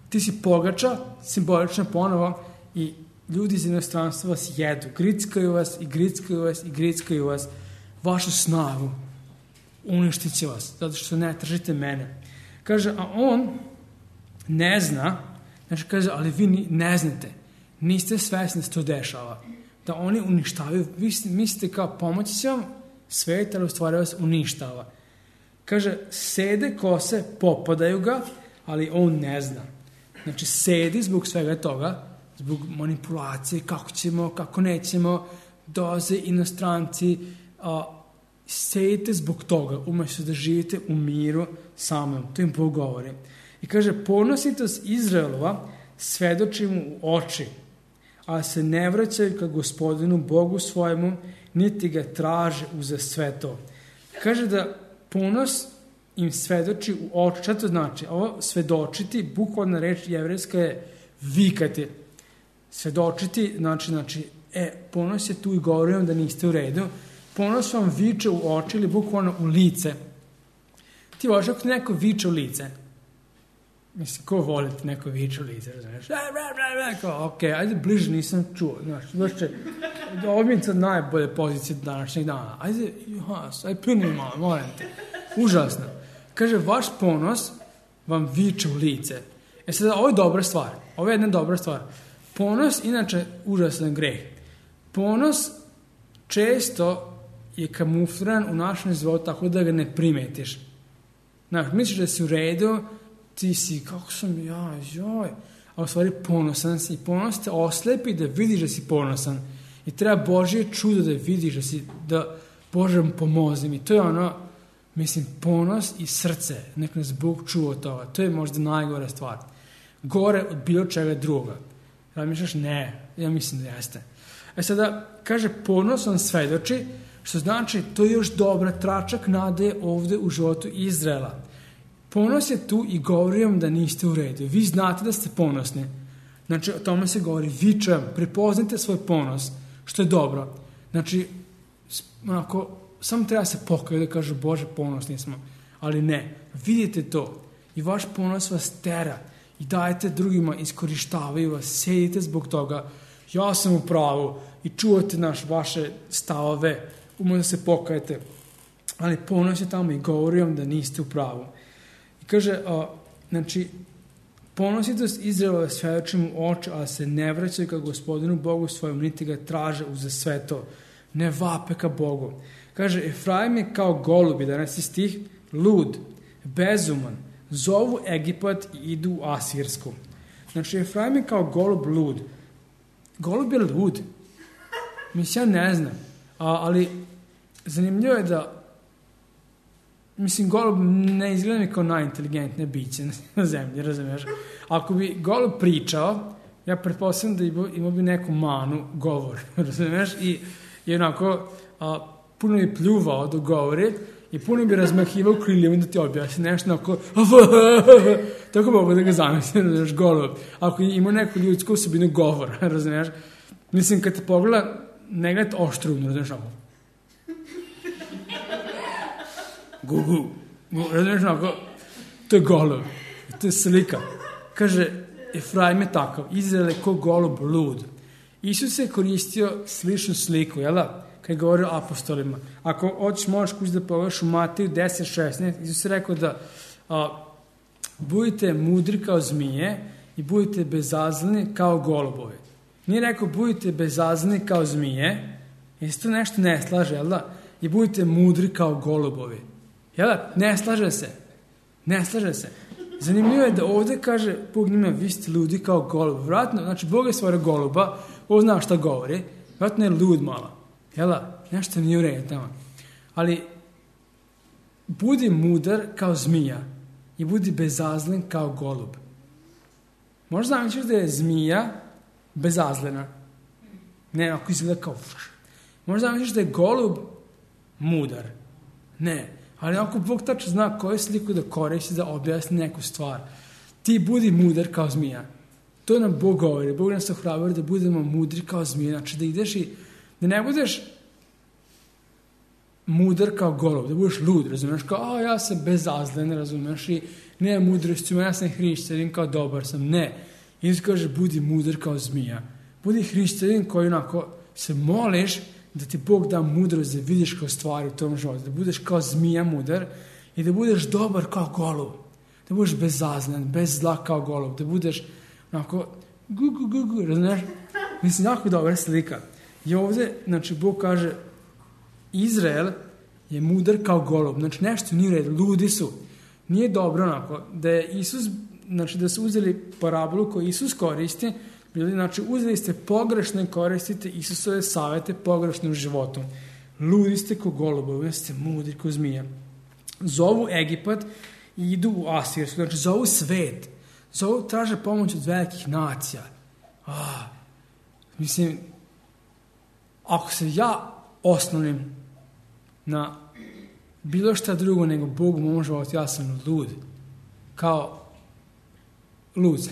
Ti si pogača, simbolično ponovo, i ljudi iz inostranstva vas jedu. Grickaju vas i grickaju vas i grickaju vas. Vašu snagu. Uništit će vas, zato što ne tržite mene. Kaže, a on ne zna, znači kaže, ali vi ne znate. Niste svesni da se to dešava. Da oni uništavaju. Vi mislite kao pomoći će vam svet, ali u stvari vas uništava. Kaže, sede kose, popadaju ga, ali on ne zna. Znači, sedi zbog svega toga, zbog manipulacije, kako ćemo, kako nećemo, doze inostranci, a, sedite zbog toga, umjesto da živite u miru samom. To im Bog govori. I kaže, ponositost Izraelova svedoči mu u oči, a se ne vraćaju ka Gospodinu Bogu svojemu, niti ga traže uza sve to. Kaže da ponos im svedoči u oči. Šta to znači? Ovo svedočiti, bukvalna reč jevrejska je vikati. Svedočiti, znači, znači, e, ponos je tu i govori vam da niste u redu. Ponos vam viče u oči ili bukvalno u lice. Ti voliš ako neko viče u lice. Mislim, ko voli ti neko viče u lice, razumiješ? Ok, ajde bliže nisam čuo. Znaš, znači, ovo mi je sad najbolje pozicije današnjeg dana. Ajde, juhas, ajde plini malo, molim te. Užasno. Kaže, vaš ponos vam viče u lice. E sad, ovo je dobra stvar. Ovo je jedna dobra stvar. Ponos, inače, užasan greh. Ponos često je kamufliran u našem životu tako da ga ne primetiš. Znaš, misliš da si u redu, ti si, kako sam ja, joj, a u stvari ponosan si. I ponos te oslepi da vidiš da si ponosan. I treba Božje čudo da vidiš da si, da Bože mu pomozi mi. To je ono, mislim, ponos i srce. Nek nas Bog čuva od toga. To je možda najgora stvar. Gore od bilo čega druga. Ja misliš, ne, ja mislim da jeste. E sada, kaže, ponos on svedoči, što znači, to je još dobra tračak nade ovde u životu Izraela. Ponos je tu i govori vam da niste u redu. Vi znate da ste ponosni. Znači, o tome se govori, vičem, prepoznajte svoj ponos, što je dobro. Znači, onako, samo treba se pokajati da kažu, Bože, ponosni smo. Ali ne, vidite to i vaš ponos vas tera i dajete drugima, iskorištavaju vas, sedite zbog toga, ja sam u pravu i čuvate naš vaše stavove, umno se pokajete, ali ponos je tamo i govori vam da niste u pravu. I kaže, a, znači, ponositost Izraelove svedoči mu oči, ali se ne vraćaju ka Gospodinu Bogu svojom, niti ga traže uza sve to. Ne vape ka Bogu. Kaže, Efraim je kao golub, jedanaesti stih, lud, bezuman, zovu Egipat i idu u Asirsku. Znači, Efraim je kao golub lud. Golub je lud. Mislim, ja ne znam. A, ali zanimljivo je da mislim, golub ne izgleda mi kao najinteligentnije biće na zemlji, razumiješ? Ako bi golub pričao, ja pretpostavljam da ima, ima bi neku manu govor, razumiješ? I, i onako, a, puno bi pljuvao dok govori i puno bi razmahivao kriljem da ti objasni nešto onako, tako mogu da ga zamislim, razumiješ, golub. Ako ima neku ljudsku osobinu govora, razumiješ? Mislim, kad te pogleda, ne gleda oštruvno, razumiješ, onako. Gugu, razumiješ, onako, to je golub, to je slika. Kaže, Efraim je takav, Izrael je ko golub lud. Isus je koristio sličnu sliku, jel da? Kad je govorio apostolima. Ako hoćeš, možeš kući da pogledaš u Mateju deset šesnaest, Isus je rekao da a, budite mudri kao zmije i budite bezazleni kao golubovi. Nije rekao budite bezazleni kao zmije, jer se to nešto ne slaže, jel da? I budite mudri kao golubovi. Jel da? Ne slaže se. Ne slaže se. Zanimljivo je da ovdje kaže Bog njima, vi ste ludi kao golub. Vratno, znači Bog je stvorio goluba, on zna šta govori, vratno je lud malo. Jel da? Nešto nije u redu tamo. Ali budi mudar kao zmija i budi bezazlen kao golub. Možda zamisliš da je zmija bezazlena. Ne, ako izgleda kao fuš. Možda zamisliš da je golub mudar. Ne. Ali ako Bog tačno zna koju sliku da koristi da objasni neku stvar, ti budi mudar kao zmija. To nam Bog govori. Bog nas ohrabri da budemo mudri kao zmija. Znači da ideš i da ne budeš mudar kao golub, da budeš lud, razumiješ, kao, a ja sam bezazlen, razumiješ, i nema mudrosti, ja sam hrišćanin, kao dobar sam. Ne. Isus kaže, budi mudar kao zmija. Budi hrišćanin koji onako se moliš da ti Bog da mudrost da vidiš kao stvari u tom životu, da budeš kao zmija mudar i da budeš dobar kao golub, da budeš bezazlen, bez zla kao golub, da budeš onako gu gu gu gu, razumiješ? Mislim, jako dobra slika. I ovdje, znači, Bog kaže, Izrael je mudar kao golub, znači nešto nije red, ludi su. Nije dobro onako, da je Isus, znači da su uzeli parabolu koju Isus koristi, znači uzeli ste pogrešno i koristite Isusove savjete pogrešnim životom. Ludi ste ko golubovi, ste mudri ko zmija. Zovu Egipat i idu u Asirsku, znači zovu svet, zovu, traže pomoć od velikih nacija. Ah, mislim, ako se ja osnovnim na bilo šta drugo nego Bogu mom životu, ja sam lud. Kao lud.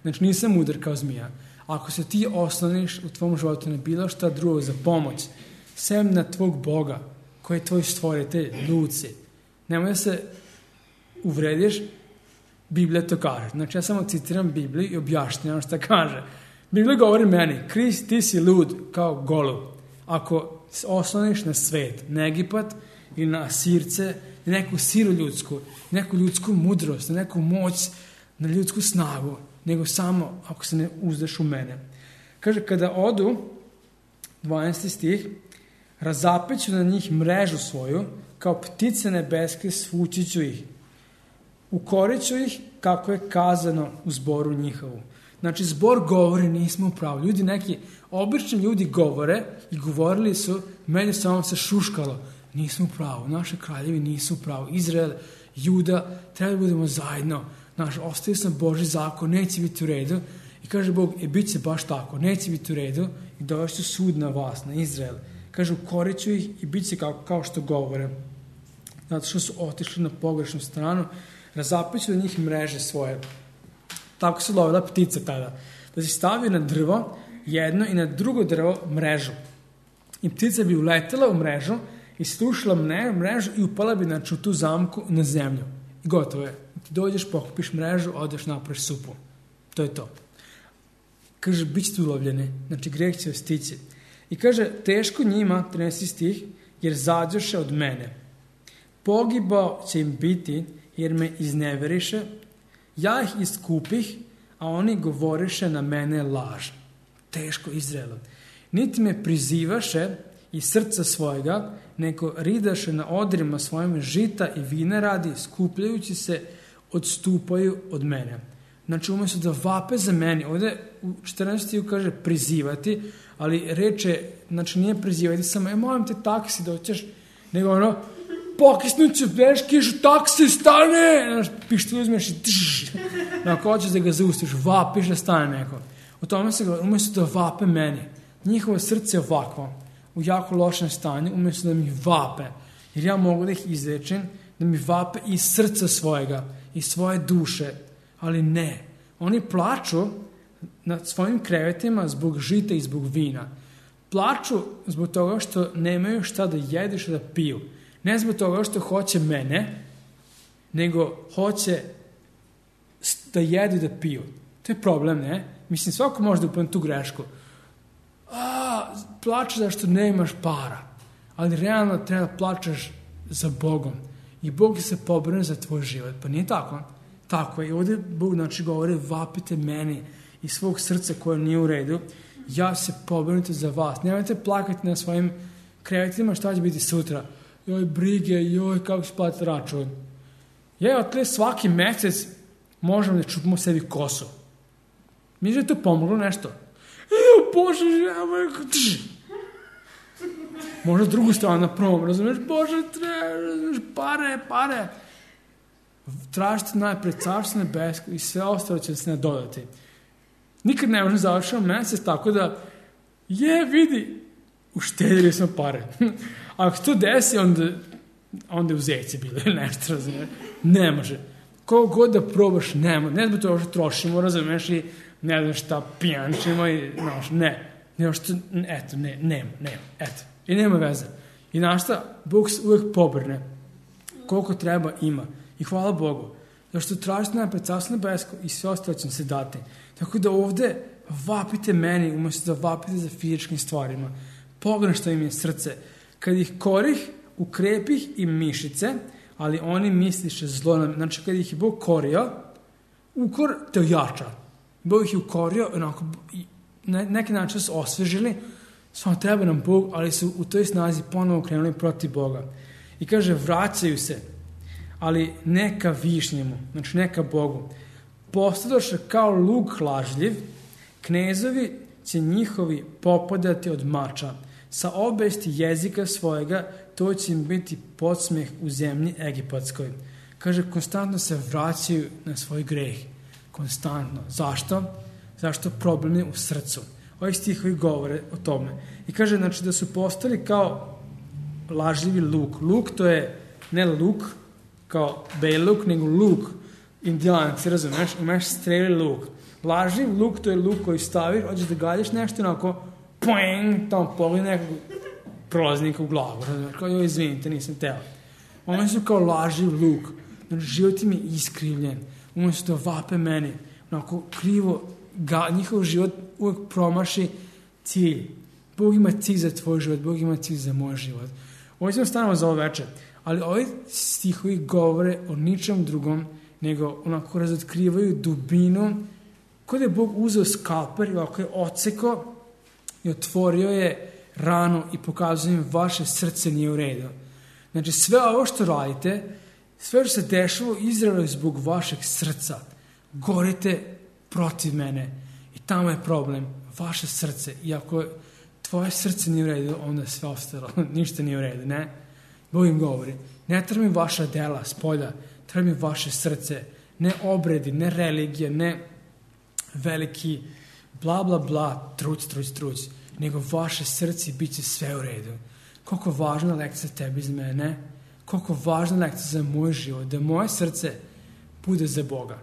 Znači nisam mudar kao zmija. Ako se ti osloniš u tvom životu na bilo šta drugo za pomoć, sem na tvog Boga, koji je tvoj stvoritelj, lud si. Nemoj da se uvrediš, Biblija to kaže. Znači ja samo citiram Bibliju i objašnjam šta kaže. Biblija govori meni, Krist, ti si lud kao golub. Ako se osloniš na svet, na Egipat ili na Asirce, na neku silu ljudsku, neku ljudsku mudrost, na neku moć, na ljudsku snagu, nego samo ako se ne uzdaš u mene. Kaže, kada odu, dvanaesti stih, razapeću na njih mrežu svoju, kao ptice nebeske svući ću ih. Ukoreću ih kako je kazano u zboru njihovu. Znači, zbor govori, nismo u pravu. Ljudi neki, obični ljudi govore i govorili su, međusobno se šuškalo. Nismo u pravu, naše kraljevi nisu u pravu. Izrael, Juda, treba da budemo zajedno. Znaš, ostaje sam Božji zakon, neće biti u redu. I kaže Bog, e, bit će baš tako, neće biti u redu i dovešću sud na vas, na Izrael. Kaže, ukoreću ih i bit će kao, kao što govore. Zato što su otišli na pogrešnu stranu, razapeću na njih mreže svoje. Tako se lovila ptica tada. Da si stavio na drvo jedno i na drugo drvo mrežu. I ptica bi uletela u mrežu i slušala mrežu i upala bi znači, u tu zamku na zemlju. I gotovo je. Ti dođeš, pokupiš mrežu, odeš napraviš supu. To je to. Kaže, bit ćete ulovljeni. Znači, greh će vas stići. I kaže, teško njima, trinaesti stih, jer zađoše od mene. Pogibao će im biti, jer me izneveriše. Ja ih iskupih, a oni govoriše na mene laž. Teško Izraelu. Niti me prizivaše iz srca svojega, nego ridaše na odrima svojim žita i vina radi, skupljajući se, odstupaju od mene. Znači, umjesto da vape za meni, ovdje u četrnaestom kaže prizivati, ali reče, znači nije prizivati samo, e, molim te taksi doćeš, nego ono, pokisnući veš kišu, taksi, stane! Znaš, pištolj uzmeš i tš, ako hoćeš da ga zaustiš, vapiš da stane neko. O tome se govori, umjesto da vape meni, njihovo srce je ovakvo, u jako lošem stanju, umjesto da mi vape, jer ja mogu da ih izrečem, da mi vape iz srca svojega, iz svoje duše, ali ne. Oni plaču na svojim krevetima zbog žita i zbog vina. Plaču zbog toga što nemaju šta da jedu i šta da piju. Ne zbog toga što hoće mene, nego hoće da jedu i da piju. To je problem, ne? Mislim, svako može da upadne tu grešku. A, plačeš zašto nemaš para. Ali realno treba da plačeš za Bogom. I Bog se pobrine za tvoj život. Pa nije tako? Tako je. I ovdje Bog znači govori, vapite meni iz svog srca koje nije u redu. Ja se pobrinuti za vas. Nemojte plakati na svojim krevetima šta će biti sutra. Joj, brige, joj, kako će platiti račun. Ja, otle svaki mesec možemo da čupimo sebi kosu. Mi je to pomoglo nešto. Evo, Bože, žemo, tš. Možda drugu stranu na prvom, razumiješ? Bože, treba, razumiješ, pare, pare. Tražite najpred carstvo nebesko i sve ostalo će se nadodati. Nikad ne možemo završiti mesec, tako da, je, vidi, uštedili smo pare. Ako to desi, onda, onda je u zeci bilo ili nešto, razumiješ? Ne može. Koliko god da probaš, nema. Ne zbog toga što trošimo, razumiješ, i ne znam šta, pijančimo i, znaš, ne. Ne, što, eto, ne, nema, nema, eto. I nema veze. I znaš šta, Bog se uvijek pobrne. Koliko treba, ima. I hvala Bogu. Zašto tražite najpred carstvo nebesko i sve ostalo će se dati. Tako da ovdje vapite meni, umjesto da vapite za fizičkim stvarima. Pogledaj što im je srce. Kad ih korih, ukrepih i mišice, ali oni misliše zlo nam. Znači, kad ih je Bog korio, ukor te ojača. Bog ih je ukorio, onako, na neki način su osvežili, samo treba nam Bog, ali su u toj snazi ponovo krenuli protiv Boga. I kaže, vraćaju se, ali neka višnjemu, znači neka Bogu. Postadoše kao luk lažljiv, knezovi će njihovi popadati od mača. Sa obesti jezika svojega to će im biti podsmeh u zemlji egipatskoj. Kaže, konstantno se vraćaju na svoj greh. Konstantno. Zašto? Zašto problem je u srcu. Ovi stihovi govore o tome. I kaže, znači, da su postali kao lažljivi luk. Luk to je ne luk kao bejluk, nego luk. Indijanac, razumeš? Imaš streli luk. Lažljiv luk to je luk koji staviš, hoćeš da galjaš nešto, onako, poeng, tamo pogled nekog prolaznika u glavu. Razumeš? Kao, joj, izvinite, nisam teo. Oni su kao lažljiv luk. Znači, život im je iskrivljen. Umjesto da vape meni. Onako, krivo, ga, njihov život uvijek promaši cilj. Bog ima cilj za tvoj život, Bog ima cilj za moj život. Ovo ćemo stanemo za ovo večer. Ali ovi stihovi govore o ničem drugom, nego onako razotkrivaju dubinu, kod je Bog uzeo skalper i ovako je odsekao i otvorio je ranu i pokazuje im vaše srce nije u redu. Znači, sve ovo što radite, sve što se dešava u Izraelu je zbog vašeg srca. Gorite protiv mene. I tamo je problem. Vaše srce. I ako tvoje srce nije u redu, onda je sve ostalo. Ništa nije u redu, ne? Bog im govori. Ne treba mi vaša dela s polja. Treba mi vaše srce. Ne obredi, ne religija, ne veliki bla bla bla, truc, truc, truc. Nego vaše srce bit će sve u redu. Koliko važna lekcija tebi za mene. Koliko važna lekcija za moj život. Da moje srce bude za Boga.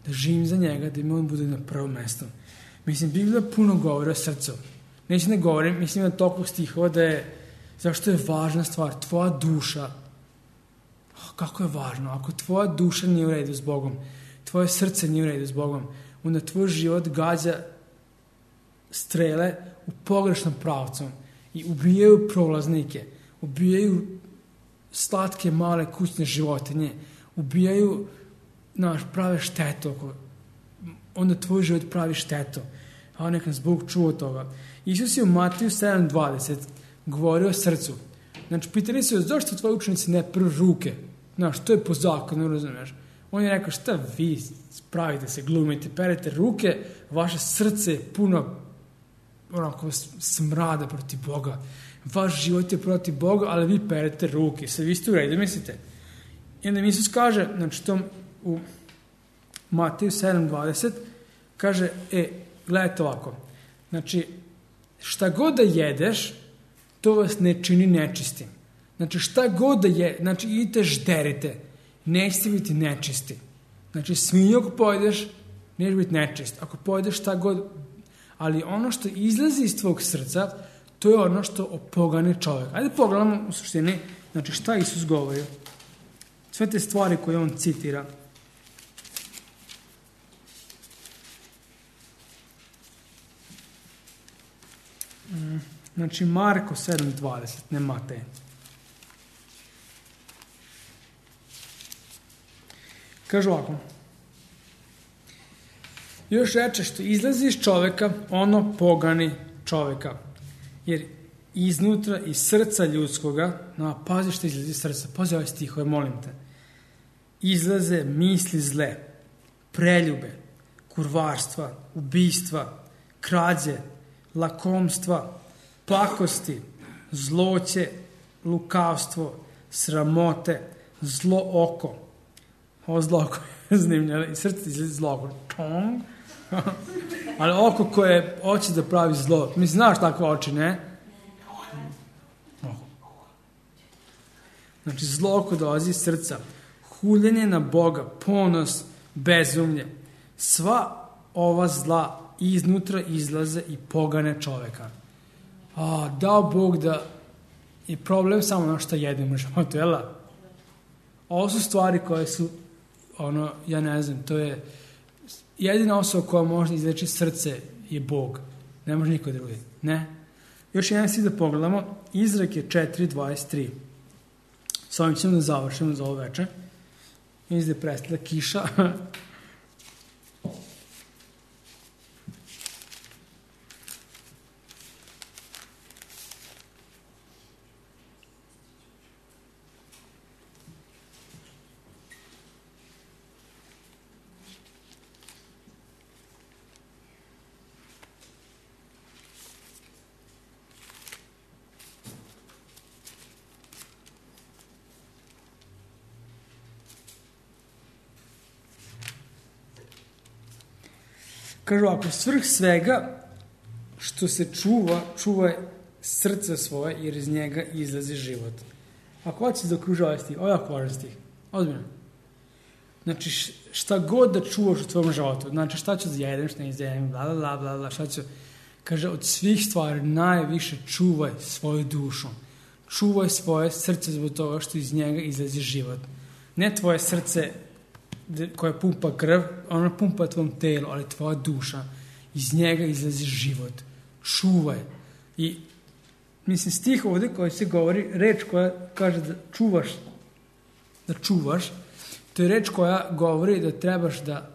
Da živim za njega, da mi on bude na prvom mjestu. Mislim, Biblija puno govori o srcu. Neće ne govorim, mislim da toliko stihova da je Zašto je važna stvar? Tvoja duša. Kako je važno? Ako tvoja duša nije u redu s Bogom, tvoje srce nije u redu s Bogom, onda tvoj život gađa strele u pogrešnom pravcu i ubijaju prolaznike, ubijaju slatke male kućne životinje, ubijaju, znaš, prave štetu, onda tvoj život pravi štetu. A neka nas Bog čuo toga. Isus je u Matiju sedam dvadeset govorio o srcu. Znači, pitali su, zašto tvoji učenici ne peru ruke? Znaš, to je po zakonu, razumiješ? On je rekao, šta vi pravite se, glumite, perete ruke, vaše srce je puno onako smrada protiv Boga. Vaš život je protiv Boga, ali vi perete ruke. Sve vi ste u redu, mislite? I onda Isus kaže, znači tom u Matiju sedam dvadeset, kaže, e, gledajte ovako, znači, šta god da jedeš, to vas ne čini nečistim. Znači, šta god da je, znači, idite žderite, nećete biti nečisti. Znači, svinju ako pojedeš, neće biti nečist. Ako pojedeš šta god, ali ono što izlazi iz tvog srca, to je ono što opogane čovjek. Ajde pogledamo u suštini, znači, šta Isus govori. Sve te stvari koje on citira. Znači, Marko sedam dvadeset, ne Matej. Kaže ovako. Još reče, što izlazi iz čoveka, ono pogani čoveka. Jer iznutra, iz srca ljudskoga, no, pazi što izlazi iz srca, pazi ovaj stih, ovaj, molim te. Izlaze misli zle, preljube, kurvarstva, ubijstva, krađe, lakomstva, pakosti, zloće, lukavstvo, sramote, zlo oko. Ovo zlo oko je zanimljivo. I srce izlazi zlo oko. Čong. Ali oko koje hoće da pravi zlo. Mi znaš takve oči, ne? Znači, zlo oko dolazi iz srca. Huljenje na Boga, ponos, bezumlje. Sva ova zla iznutra izlaze i pogane čoveka. A, dao Bog da je problem samo ono što jedemo u životu, jel? Ovo su stvari koje su, ono, ja ne znam, to je jedina osoba koja može izleći srce je Bog. Ne može niko drugi. Ne. Još jedan si da pogledamo. Izrek je četiri dvadeset tri. S ovim ćemo da završimo za ovo večer. Mislim da je prestala kiša. Kažu, ako svrh svega što se čuva, čuva srce svoje, jer iz njega izlazi život. Ako hoćeš da okruži ovaj stih, ovo je jako važan stih, ozbiljno. Znači, šta god da čuvaš u tvojom životu, znači šta ću da jedem, šta ne izjedem, bla, bla, bla, bla, šta ću, kaže, od svih stvari najviše čuvaj svoju dušu. Čuvaj svoje srce zbog toga što iz njega izlazi život. Ne tvoje srce koja pumpa krv, ona pumpa tvojom telu, ali tvoja duša, iz njega izlazi život. Čuvaj. I, mislim, stih ovdje koji se govori, reč koja kaže da čuvaš, da čuvaš, to je reč koja govori da trebaš da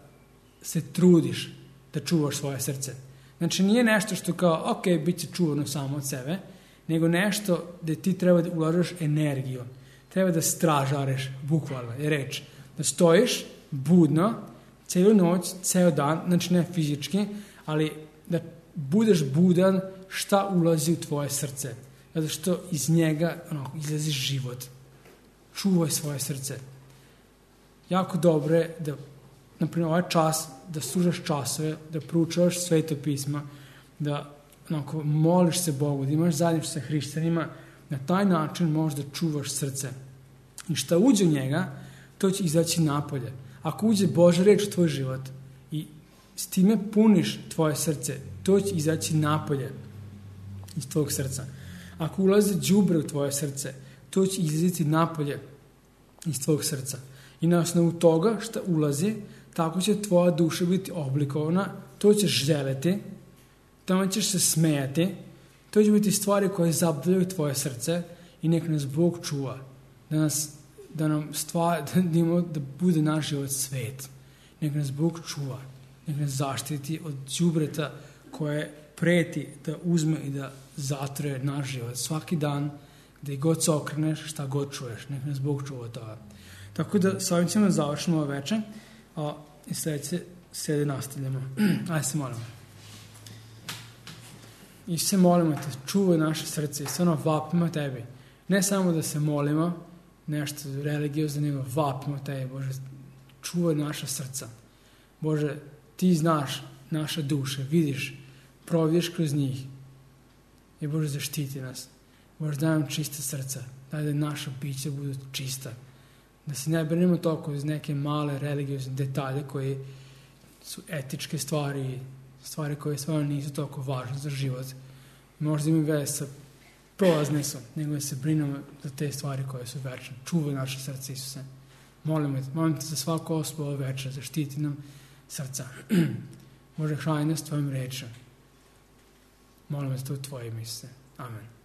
se trudiš da čuvaš svoje srce. Znači, nije nešto što kao, ok, bit će čuvano samo od sebe, nego nešto da ti treba da ulažeš energiju. Treba da stražareš, bukvalno je reč. Da stojiš budno, celu noć, ceo dan, znači ne fizički, ali da budeš budan šta ulazi u tvoje srce. Zato što iz njega ono, izlazi život. Čuvaj svoje srce. Jako dobro je da, naprimjer, ovaj čas, da služaš časove, da proučavaš Sveto pisma, da onako, moliš se Bogu, da imaš zajedništvo sa hrišćanima, na taj način možeš da čuvaš srce. I šta uđe u njega, to će izaći napolje. Ako uđe Božja reč u tvoj život i s time puniš tvoje srce, to će izaći napolje iz tvojeg srca. Ako ulazi đubre u tvoje srce, to će izlaziti napolje iz tvojeg srca. I na osnovu toga što ulazi, tako će tvoja duša biti oblikovana, to ćeš želeti, tamo ćeš se smejati, to će biti stvari koje zabavljaju tvoje srce i nek nas Bog čuva. Da, nas, da nam stvar, da, imamo, da bude naš život svet. Nek nas Bog čuva. Nek nas zaštiti od đubreta koje preti da uzme i da zatre naš život. Svaki dan, gdje god se okreneš, šta god čuješ. Nek nas Bog čuva toga. Tako da s ovim ćemo završimo ovo večer. A i sljedeće sede nastavljamo. Ajde se molimo. I se molimo te, čuvaj naše srce i stvarno vapimo tebi. Ne samo da se molimo, nešto religiozno, nego vapimo tebi, Bože, čuvaj naša srca. Bože, ti znaš naše duše, vidiš, providiš kroz njih. I Bože, zaštiti nas. Bože, daj nam čista srca, daj da naša bića budu čista. Da se ne brinemo toliko iz neke male religiozne detalje koji su etičke stvari, stvari koje stvarno nisu toliko važne za život. Možda imaju veze sa prolazne su, nego da se brinemo za te stvari koje su večne. Čuvaj naše srce, Isuse. Molimo te, molim te za svaku osobu ove večer, zaštiti nam srca. Bože, hrani nas tvojim rečem. Molimo te to u tvojim, Isuse. Amen.